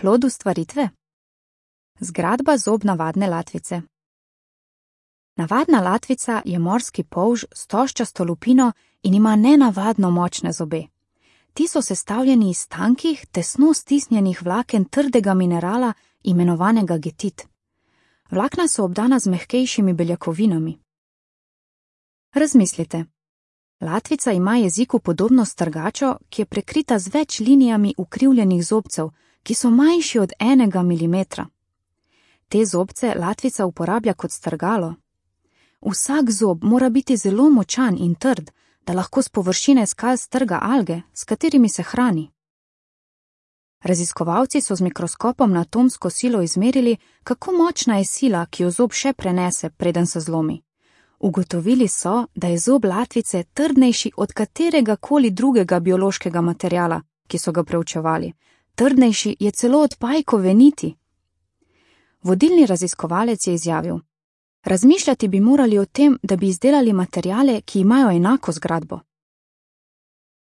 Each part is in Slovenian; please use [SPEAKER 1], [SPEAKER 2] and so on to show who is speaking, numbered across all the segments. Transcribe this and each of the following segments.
[SPEAKER 1] Plod ustvaritve? Zgradba zob navadne latvice. Navadna latvica je morski polž s toščasto lupino in ima nenavadno močne zobe. Ti so sestavljeni iz tankih, tesno stisnjenih vlaken trdega minerala, imenovanega getit. Vlakna so obdana z mehkejšimi beljakovinami. Razmislite. Latvica ima jeziku podobno strgačo, ki je prekrita z več linijami ukrivljenih zobcev, ki so manjši od 1 milimetra. Te zobce latvica uporablja kot strgalo. Vsak zob mora biti zelo močan in trd, da lahko s površine skal strga alge, s katerimi se hrani. Raziskovalci so z mikroskopom na atomsko silo izmerili, kako močna je sila, ki jo zob še prenese, preden se zlomi. Ugotovili so, da je zob latvice trdnejši od katerega koli drugega biološkega materiala, ki so ga preučevali. Trdnejši je celo od pajkove niti. Vodilni raziskovalec je izjavil: razmišljati bi morali o tem, da bi izdelali materiale, ki imajo enako zgradbo.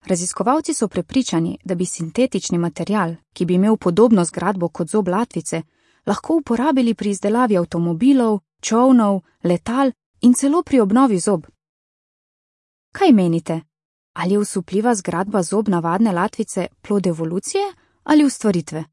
[SPEAKER 1] Raziskovalci so prepričani, da bi sintetični material, ki bi imel podobno zgradbo kot zob latvice, lahko uporabili pri izdelavi avtomobilov, čolnov, letal in celo pri obnovi zob. Kaj menite? Ali je osupljiva zgradba zob navadne latvice plod evolucije ali ustvaritve?